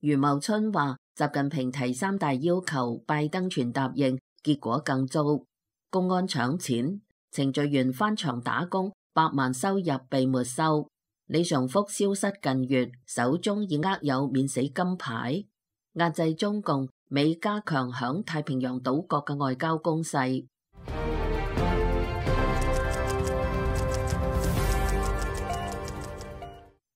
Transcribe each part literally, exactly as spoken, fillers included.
余茂春話：習近平提三大要求，拜登全答應，結果更糟。公安搶錢，程序員翻牆打工，百萬收入被沒收。李尚福消失近月，手中已握有免死金牌。壓制中共，美加強響太平洋島國嘅外交攻勢。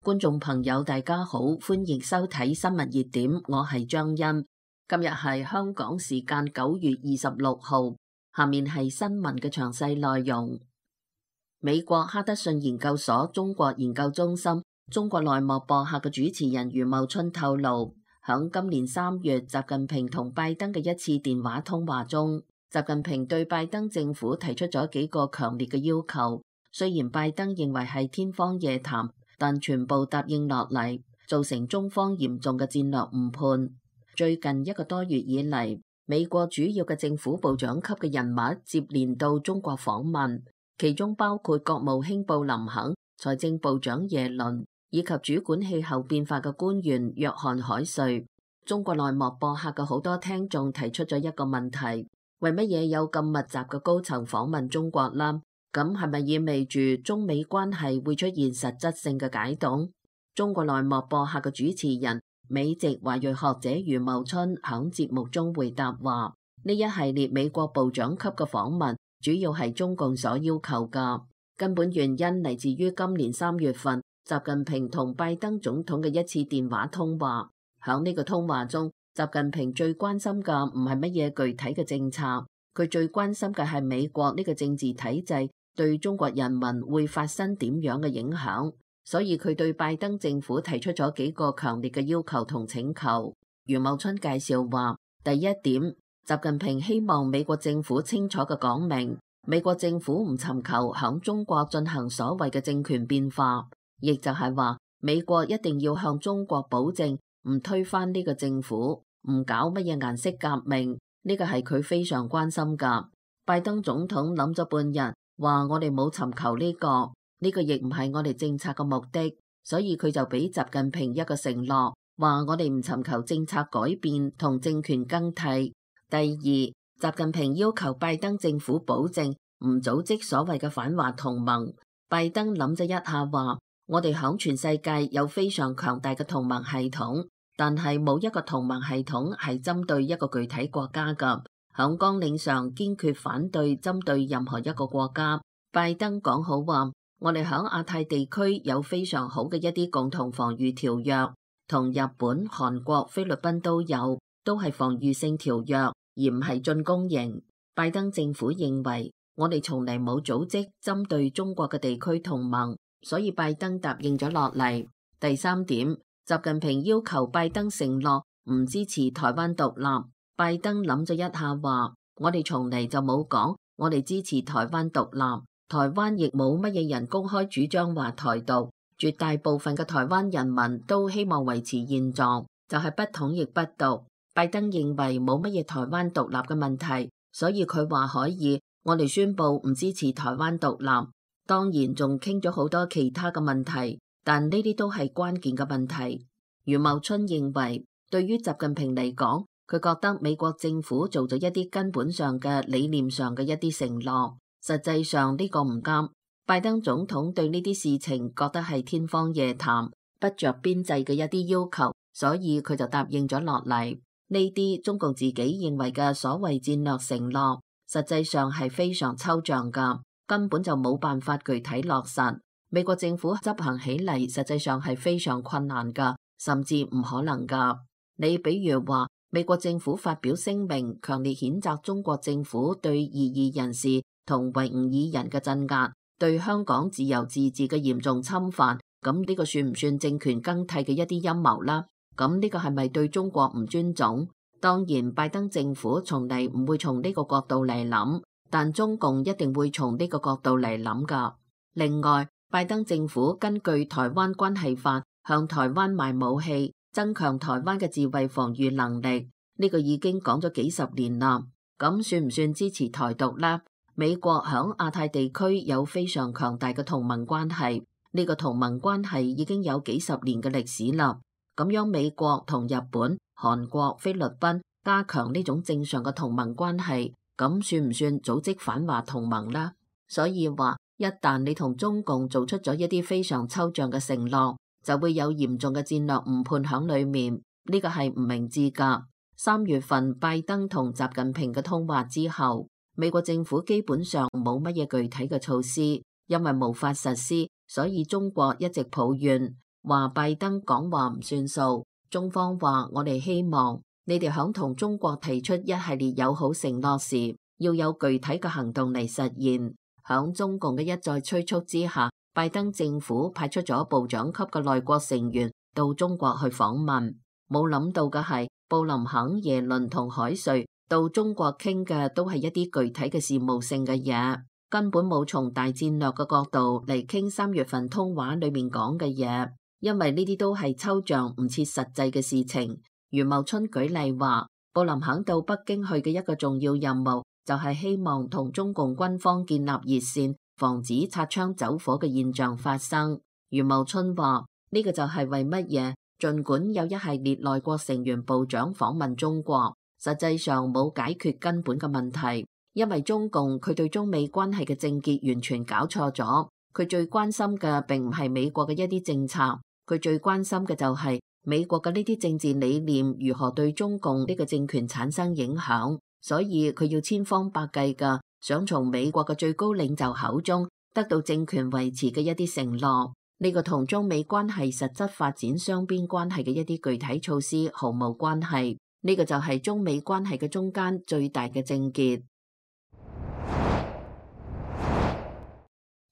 觀眾朋友大家好，歡迎收睇新聞熱點，我係張欣。今日係香港時間九月二十六號，下面係新聞嘅詳細內容。美國哈德遜研究所中國研究中心中國內幕播客嘅主持人余茂春透露，響今年三月習近平同拜登嘅一次電話通話中，習近平對拜登政府提出咗幾個強烈嘅要求，雖然拜登認為係天方夜譚，但全部答應落嚟，造成中方嚴重嘅戰略誤判。最近一個多月以嚟，美國主要嘅政府部長級嘅人物接連到中國訪問，其中包括國務卿布林肯、財政部長耶倫以及主管氣候變化嘅官員約翰海瑞。中國內幕播客嘅好多聽眾提出咗一個問題：為乜嘢有咁密集嘅高層訪問中國啦？咁係咪意味住中美關係會出現實質性嘅解凍？中國內幕播客嘅主持人美籍華裔學者余茂春響節目中回答話：呢一系列美國部長級嘅訪問主要係中共所要求㗎，根本原因嚟自於今年三月份習近平同拜登總統嘅一次電話通話。響呢個通話中，習近平最關心嘅唔係乜嘢具體嘅政策，佢最關心嘅係美國呢個政治體制對中國人民會發生點樣嘅影響，所以佢對拜登政府提出咗幾個強烈嘅要求同請求。余茂春介紹話，第一點，習近平希望美國政府清楚嘅講明，美國政府唔尋求響中國進行所謂嘅政權變化，亦就係話美國一定要向中國保證唔推翻呢個政府，唔搞乜嘢顏色革命，呢個係佢非常關心㗎。拜登總統諗咗半日，話我哋冇尋求呢個，呢個亦唔係我哋政策嘅目的，所以佢就俾習近平一個承諾，話我哋唔尋求政策改變同政權更替。第二，習近平要求拜登政府保證唔組織所謂嘅反華同盟。拜登諗咗一下話，我哋響全世界有非常強大嘅同盟系統，但係冇一個同盟系統係針對一個具體國家㗎。響綱領上堅決反對針對任何一個國家。拜登講好話，我哋響亞太地區有非常好嘅一啲共同防禦條約，同日本、韓國、菲律賓都有，都係防禦性條約，而唔係進攻型。拜登政府認為我哋從嚟冇組織針對中國嘅地區同盟，所以拜登答應咗落嚟。第三點，習近平要求拜登承諾唔支持台灣獨立。拜登諗咗一下話，我哋從嚟就冇講我哋支持台灣獨立，台灣亦冇乜嘢人公開主張話台獨，絕大部分嘅台灣人民都希望維持現狀，就係不統亦不獨。拜登認為冇乜嘢台灣獨立嘅問題，所以佢話可以，我哋宣布唔支持台灣獨立。當然仲傾咗好多其他嘅問題，但呢啲都係關鍵嘅問題。余茂春認為，對於習近平嚟講，佢覺得美國政府做咗一啲根本上嘅理念上嘅一啲承諾，實際上呢個唔啱。拜登總統對呢啲事情覺得係天方夜譚，不着邊際嘅一啲要求，所以佢就答應咗落嚟。呢啲中共自己認為嘅所謂戰略承諾，實際上係非常抽象㗎，根本就冇辦法具體落實。美國政府執行起嚟，實際上係非常困難㗎，甚至唔可能㗎。你比如話，美國政府發表聲明，強烈譴責中國政府對異議人士同維吾爾人嘅鎮壓，對香港自由自治嘅嚴重侵犯。咁呢個算唔算政權更替嘅一啲陰謀啦？咁呢個係咪對中國唔尊重？當然，拜登政府從嚟唔會從呢個角度嚟諗，但中共一定會從呢個角度嚟諗㗎。另外，拜登政府根據《台灣關係法》向台灣賣武器，增強台灣嘅自衛防禦能力，呢個已經講咗幾十年啦。咁算唔算支持台獨呢？美國響亞太地區有非常強大嘅同盟關係，呢個同盟關係已經有幾十年嘅歷史啦。咁樣美國同日本、韓國、菲律賓加強呢種正常嘅同盟關係，咁算唔算組織反華同盟呢？所以話，一旦你同中共做出咗一啲非常抽象嘅承諾，就會有嚴重嘅戰略誤判響裏面，呢個係唔明智噶。三月份拜登同習近平嘅通話之後，美國政府基本上冇乜嘢具體嘅措施，因為無法實施，所以中國一直抱怨，話拜登講話唔算數。中方話，我哋希望你哋響同中國提出一系列友好承諾時，要有具體嘅行動嚟實現。響中共嘅一再催促之下，拜登政府派出咗部長級嘅內閣成員到中國去訪問。冇諗到嘅係，布林肯、耶倫同海瑞到中國傾嘅都係一啲具體嘅事務性嘅嘢，根本冇從大戰略嘅角度嚟傾三月份通話裏面講嘅嘢，因為呢啲都係抽象唔切實際嘅事情。余茂春舉例話，布林肯到北京去嘅一個重要任務就係希望同中共軍方建立熱線，防止擦槍走火嘅現象發生。余茂春話，呢個就係為乜嘢？儘管有一系列內閣成員部長訪問中國，實際上冇解決根本嘅問題，因為中共佢對中美關係嘅症結完全搞錯咗。佢最關心嘅並唔係美國嘅一啲政策，佢最關心嘅就係美國嘅呢啲政治理念如何對中共呢個政權產生影響。所以佢要千方百計嘅想從美國嘅最高領袖口中得到政權維持嘅一啲承諾，呢個同中美關係實質發展雙邊關係嘅一啲具體措施毫無關係，呢個就係中美關係嘅中間最大嘅症結。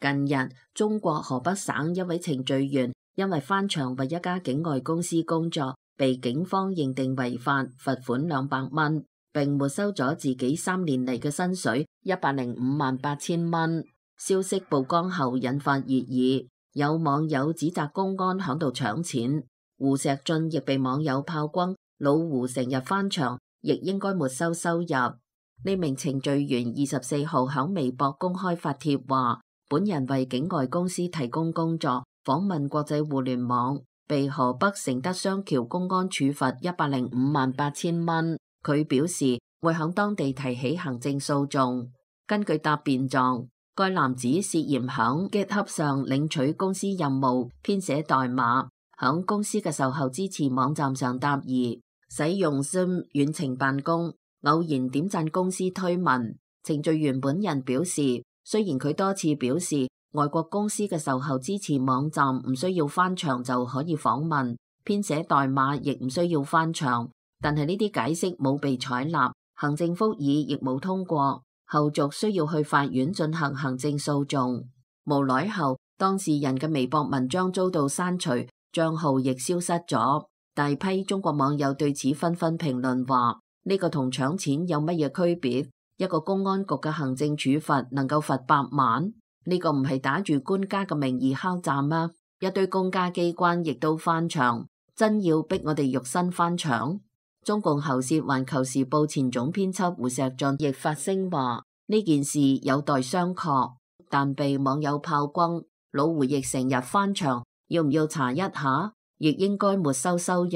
近日，中國河北省一位程序員因為翻牆為一家境外公司工作，被警方認定違法，罰款兩百蚊。並沒收咗自己三年嚟嘅薪水一百零五萬八千蚊。消息曝光後引發熱議，有網友指責公安響度搶錢。胡錫進亦被網友炮轟，老胡成日翻牆，亦應該沒收收入。呢名程序員二十四號響微博公開發帖話，本人為境外公司提供工作，訪問國際互聯網，被河北承德雙橋公安處罰一百零五萬八千蚊。佢表示會響當地提起行政訴訟。根據答辯狀，該男子涉嫌響 GitHub 上領取公司任務，編寫代碼，響公司嘅售後支持網站上答疑，使用 Zoom 遠程辦公，偶然點讚公司推文。程序員本人表示，雖然佢多次表示外國公司嘅售後支持網站唔需要翻牆就可以訪問，編寫代碼亦唔需要翻牆，但係呢啲解釋冇被採納，行政復議亦冇通過，後續需要去法院進行行政訴訟。無奈後，當事人嘅微博文章遭到刪除，賬號亦消失咗。大批中國網友對此紛紛評論話：呢個同搶錢有乜嘢區別？一個公安局嘅行政處罰能夠罰百萬？呢個唔係打住官家嘅名義敲詐嗎？一堆公家機關亦都翻牆，真要逼我哋肉身翻牆？中共喉舌環球時報前總編輯胡錫進亦發聲話：呢件事有待商榷，但被網友炮轟，老胡亦成日翻牆，要唔要查一下？亦應該沒收收入。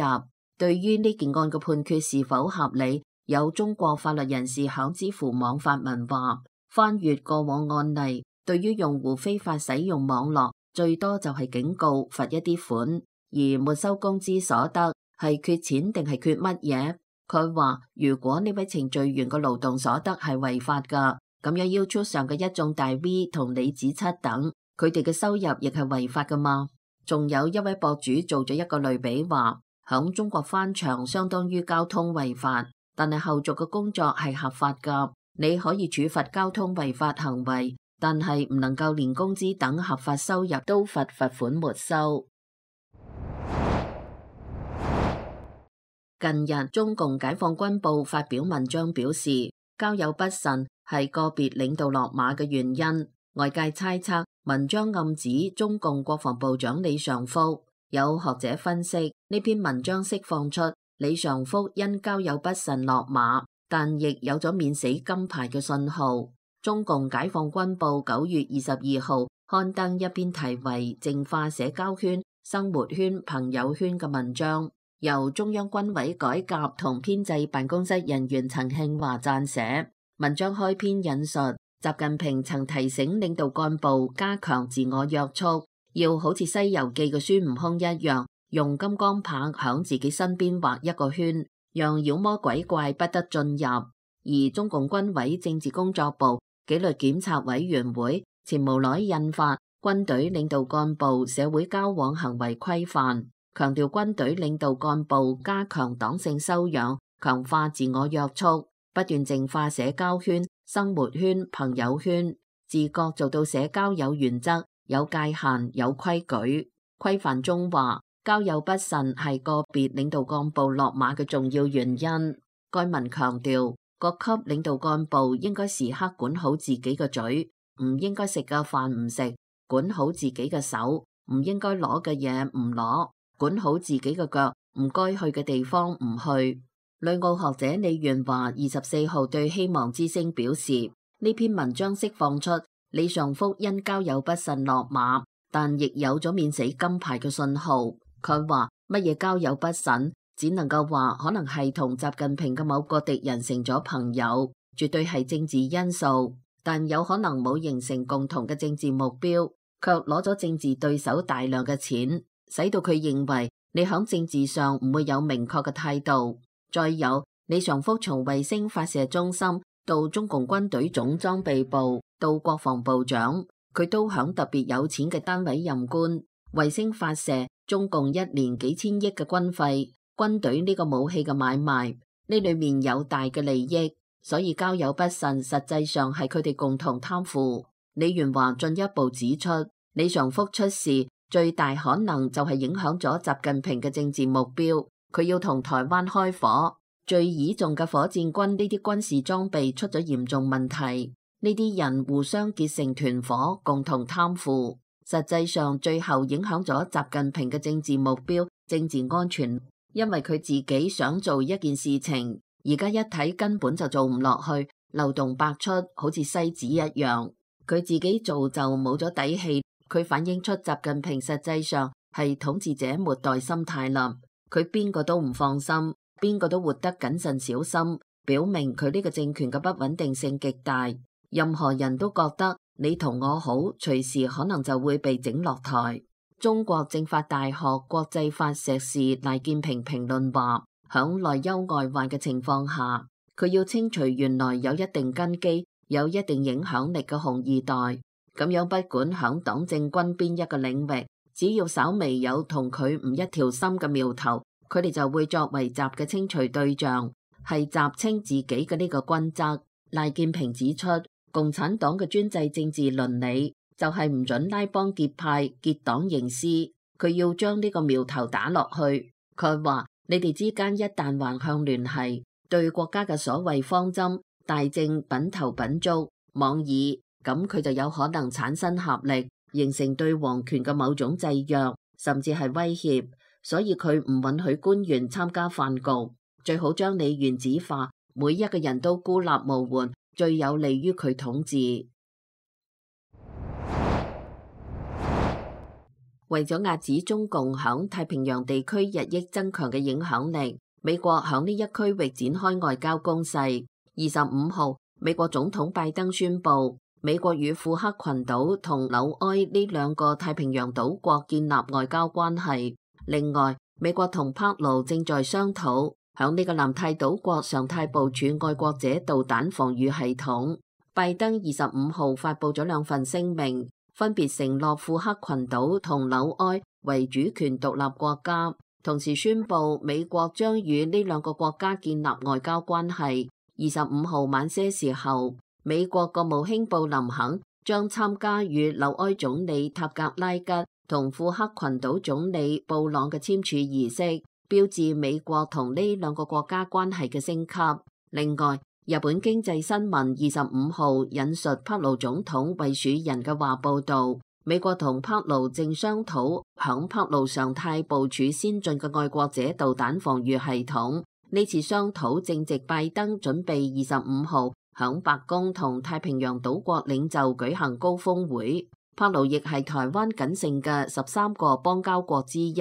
對於呢件案嘅判決是否合理，有中國法律人士響知乎網發文話：翻閱過往案例，對於用戶非法使用網絡，最多就係警告罰一啲款，而沒收工資所得。係缺錢定係缺乜嘢？佢話如果呢位程序員嘅勞動所得係違法噶，咁樣 YouTube 上嘅一眾大 V 同李子柒等，佢哋嘅收入亦係違法噶嘛？仲有一位博主做咗一個類比話，響中國翻牆相當於交通違法，但係後續嘅工作係合法噶。你可以處罰交通違法行為，但係唔能夠連工資等合法收入都罰罰款沒收。近日，中共解放軍報發表文章表示，交友不慎係個別領導落馬嘅原因。外界猜測，文章暗指中共國防部長李尚福。有學者分析，呢篇文章釋放出李尚福因交友不慎落馬，但亦有咗免死金牌嘅信號。中共解放軍報九月二十二號刊登一篇題為《淨化社交圈、生活圈、朋友圈》嘅文章。由中央軍委改革同編制辦公室人員陳慶華撰寫。文章開篇引述習近平曾提醒領導幹部加強自我約束，要好似《西遊記》嘅孫悟空一樣，用金剛棒響自己身邊畫一個圈，讓妖魔鬼怪不得進入。而中共軍委政治工作部紀律檢查委員會前無耐印發《軍隊領導幹部社會交往行為規範》，強調軍隊領導幹部加強黨性修養，強化自我約束，不斷淨化社交圈、生活圈、朋友圈，自覺做到社交有原則、有界限、有規矩。規範中話，交友不慎係個別領導幹部落馬嘅重要原因。該文強調，各級領導幹部應該時刻管好自己嘅嘴，唔應該食嘅飯唔食，管好自己嘅手，唔應該攞嘅嘢唔攞，管好自己嘅腳，唔該去嘅地方唔去。旅澳學者李元華二十四號對希望之聲表示，呢篇文章釋放出李尚福因交友不慎落馬，但亦有咗免死金牌嘅信號。佢話乜嘢交友不慎，只能夠話可能係同習近平嘅某個敵人成咗朋友，絕對係政治因素，但有可能冇形成共同嘅政治目標，卻攞咗政治對手大量嘅錢，使到佢認為你響政治上唔會有明確嘅態度。再有，李尚福從衛星發射中心到中共軍隊總裝備部到國防部長，佢都響特別有錢嘅單位任官。衛星發射，中共一年幾千億嘅軍費，軍隊呢個武器嘅買賣，呢裏面有大嘅利益，所以交友不慎實際上係佢哋共同貪腐。李元華進一步指出，李尚福出事最大可能就係影響咗習近平嘅政治目標。佢要同台灣開火，最倚重嘅火箭軍呢啲軍事裝備出咗嚴重問題，呢啲人互相結成團伙，共同貪腐，實際上最後影響咗習近平嘅政治目標、政治安全。因為佢自己想做一件事情，而家一睇根本就做唔落去，漏洞百出，好似篩子一樣。佢自己做就冇咗底氣，佢反映出習近平實際上係統治者末代心態啦。佢邊個都唔放心，邊個都活得謹慎小心，表明佢呢個政權嘅不穩定性極大。任何人都覺得你同我好，隨時可能就會被整落台。中國政法大學國際法碩士賴建平評論話，響內憂外患嘅情況下，佢要清除原來有一定根基、有一定影響力嘅紅二代，咁樣不管響黨政軍邊一個領域，只要稍微有同佢唔一條心嘅苗頭，佢哋就會作為習嘅清除對象，係習清自己嘅呢個均則。賴建平指出，共產黨嘅專制政治倫理就係唔准拉幫結派、結黨營私，佢要將呢個苗頭打落去。佢話：你哋之間一旦橫向聯繫，對國家嘅所謂方針大政品頭品足妄議，咁佢就有可能產生合力，形成對皇權嘅某種制約，甚至係威脅。所以佢唔允許官員參加飯局，最好將你原子化，每一個人都孤立無援，最有利於佢統治。為咗遏止中共響太平洋地區日益增強嘅影響力，美國響呢一區域展開外交攻勢。二十五號，美國總統拜登宣布，美國與庫克群島同紐埃呢兩個太平洋島國建立外交關係。另外，美國同帕勞正在商討響呢個南太島國常態部署愛國者導彈防禦系統。拜登二十五號發布咗兩份聲明，分別承諾庫克群島同紐埃為主權獨立國家，同時宣布美國將與呢兩個國家建立外交關係。二十五號晚些時候，美國國務卿布林肯將參加與紐埃總理塔格拉吉同庫克群島總理布朗嘅簽署儀式，標誌美國同呢兩個國家關係嘅升級。另外，日本經濟新聞二十五號引述帕勞總統惠恕仁嘅話報道，美國同帕勞正商討響帕勞常態部署先進嘅愛國者導彈防禦系統。呢次商討正值拜登準備二十五號響白宮同太平洋島國領袖舉行高峰會。帕勞亦係台灣僅剩嘅十三個邦交國之一。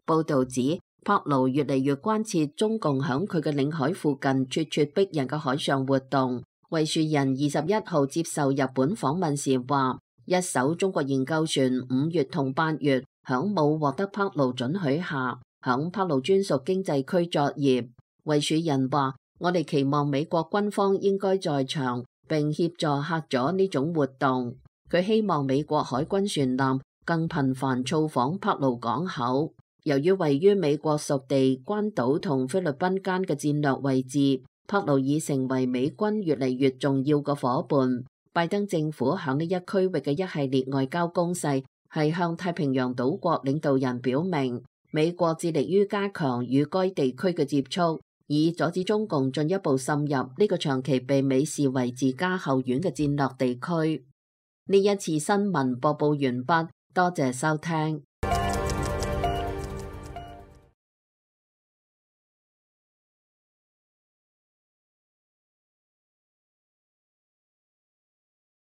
報道指，帕勞越嚟越關切中共響佢嘅領海附近咄咄逼人嘅海上活動。衛樹人二十一號接受日本訪問時話，一艘中國研究船五月同八月響冇獲得帕勞准許下，響帕勞專屬經濟區作業。衛樹人話，我哋期望美國軍方應該在場並協助嚇阻呢種活動。佢希望美國海軍船艦更頻繁造訪帕勞港口。由於位於美國屬地關島同菲律賓間嘅戰略位置，帕勞已成為美軍越嚟越重要嘅夥伴。拜登政府響呢一區域嘅一系列外交攻勢，係向太平洋島國領導人表明，美國致力於加強與該地區嘅接觸，以阻止中共進一步滲入呢個長期被美視為自家後院嘅戰略地區。呢一次新聞播報完畢，多謝收聽。